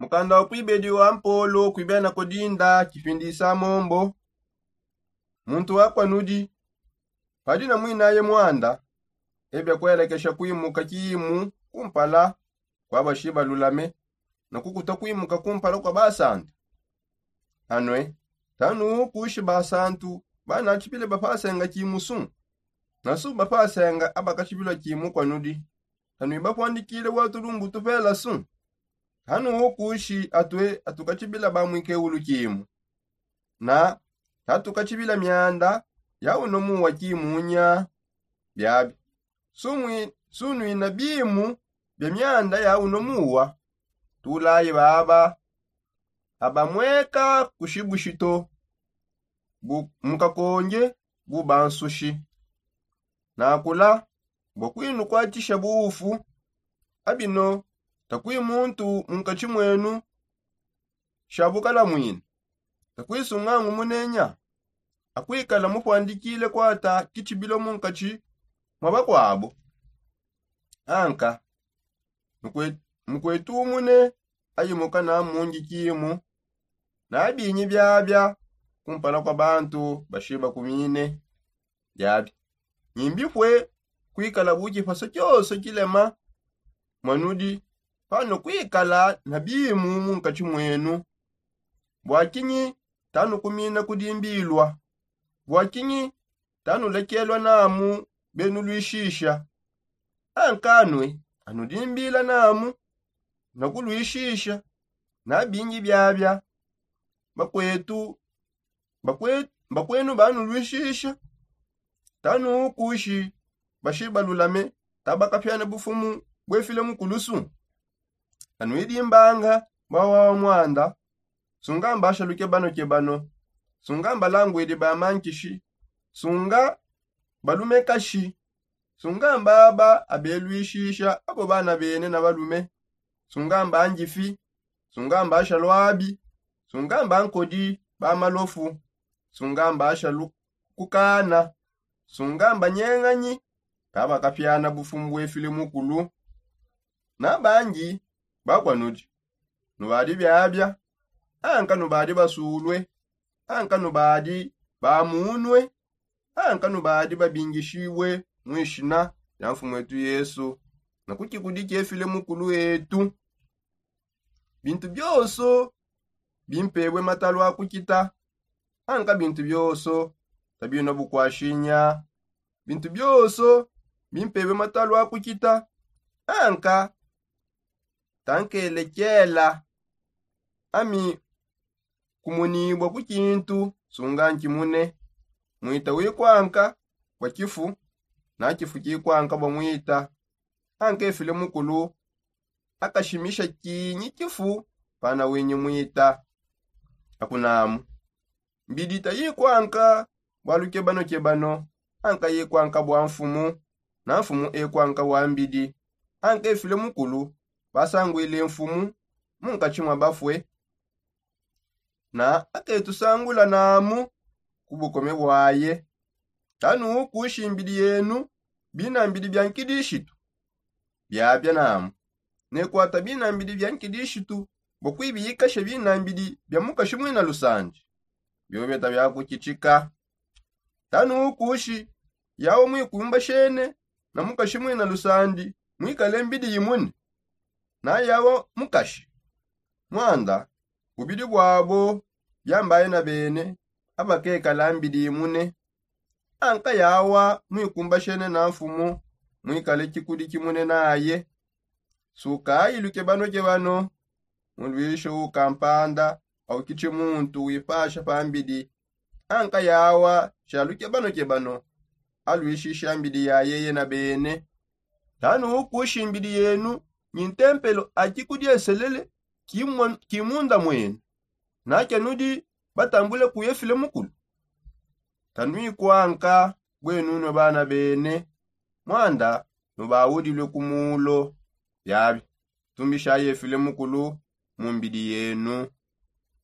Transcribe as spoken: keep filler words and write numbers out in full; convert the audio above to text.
Mukanda wa kuibedi wa mpolo kuibena kodinda kipindisa mombo. Muntu wakwa nudi, padi na mwinaye mwanda, ebia kuelekesha kuimuka kiimu kumpala kwa bashiba lulame, na kukuta kuimuka kumpala kwa basantu. Anue, tanu kushi basantu banatshibile bapasenga kiimu su, na su bapasenga abakatshibila kiimu kwa nudi. Tanu ibapwandikile bua tulumbu tupela su. Tanu kushi atue atukatshibila ba mwikeulu kiimu, na tatukatshibila mianda ya uno muwa kimunya. Biabi sumwi sunuina bimu bia mianda ya uno muwa. Tulayi baba abamweka kushibushito bu mukakonge bu bansushi. Nakula bua kuinukwatisha buufu. Abino takui muntu munkatshi mwenu sha bukalamwina, takui sungangu munenya akuikala mupuandikile kuata kitshibilo munkatshi mwa bakuabo. Anka mukwetumune ayimuka na mungi kimu na binyi biabia kumpala kwa bantu bashiba kumine. Biabi nyimbipue kuikala bu kipasa kioso kilema mwanudi pano kuikala na bimu munkatshi mwenu. Bua kinyi tanukumina kudimbilwa? Bua kinyi tanulekelwa namu benuluishisha? Ankanue anudimbila namu na kuluishisha na bingi biabia bakwetu bakwenu banuluishisha. Tanu kushi bashiba lulame tabakapiana bufumu buefile mukulusu. Anuidimbanga bua wawa mwanda. Sunga mbasha lukebano kebano. Sunga mbalangwedi ba mankishi. Sunga balume kashi. Sunga mbaba abeluishisha abo bana bene na balume. Sunga mbanjifi. Sunga mbasha lwabi. Sunga mbankodi ba malofu. Sunga mbasha kukana. Sunga mbanyenganyi kabakapiana bufumu buefile mukulu. Na bangi bakwa nudi nubadi biabia. Anka nubadi basulue. Anka nubadi bamunue. Anka nubadi babingishibue muishina ya mfumu etu yesu na kukikudi kiefile mukulu etu. Bintu bionso bimpebue matalu a kukita. Anka bintu bionso tabina bukuashinya. Bintu bionso bimpebue matalu a kukita. Anka tankelekela ami kumunibua ku kintu sunga nkimune. Mwita wikwanka bua kifu na kifu kikwanka bua mwita. Anka efile mukulu akashimisha kinyi kifu pana winyi mwita? Akunamu mbidi tayikwanka bua lukebanokebano. Anka yikwanka bua mfumu na mfumu ekwanka bua mbidi. Anka efile mukulu basanguile mfumu munkatshi mua bafue. Na aketusangula namu ku bukome buaye. Tanu kushi mbidi yenu bina mbidi bia nkidishitu. Biabia namu nekuata bina mbidi bia nkidishitu bua kuibiyikasha bina mbidi bia mukashi muina lusandi. Biobeta bia kukitshika. Tanu kushi yawa mwikumbashene na mukashi muina lusandi muikale mbidi imune. Na yawa mukashi mwanda bubidi buabo biambaye na bene abakekala mbidi imune. Anka yawa mwikumbashene na mfumu muikale kikudi kimune naye. Sukayi lukebanokebano muluishe ukampanda aukitshi muntu wipasha pa mbidi. Anka yawa sha lukebanokebano aluishisha mbidi ya yeye na bene. Tanu kushi mbidi yenu nyi ntempelo a kikudieselele kimunda mwenu. Nakia nudi batambule kuye file mukulu. Tanuikwanka bwenunue bana bene. Mwanda nubaudilue ku mulo. Biabi tumbishayi efile mukulu mu mbidi yenu.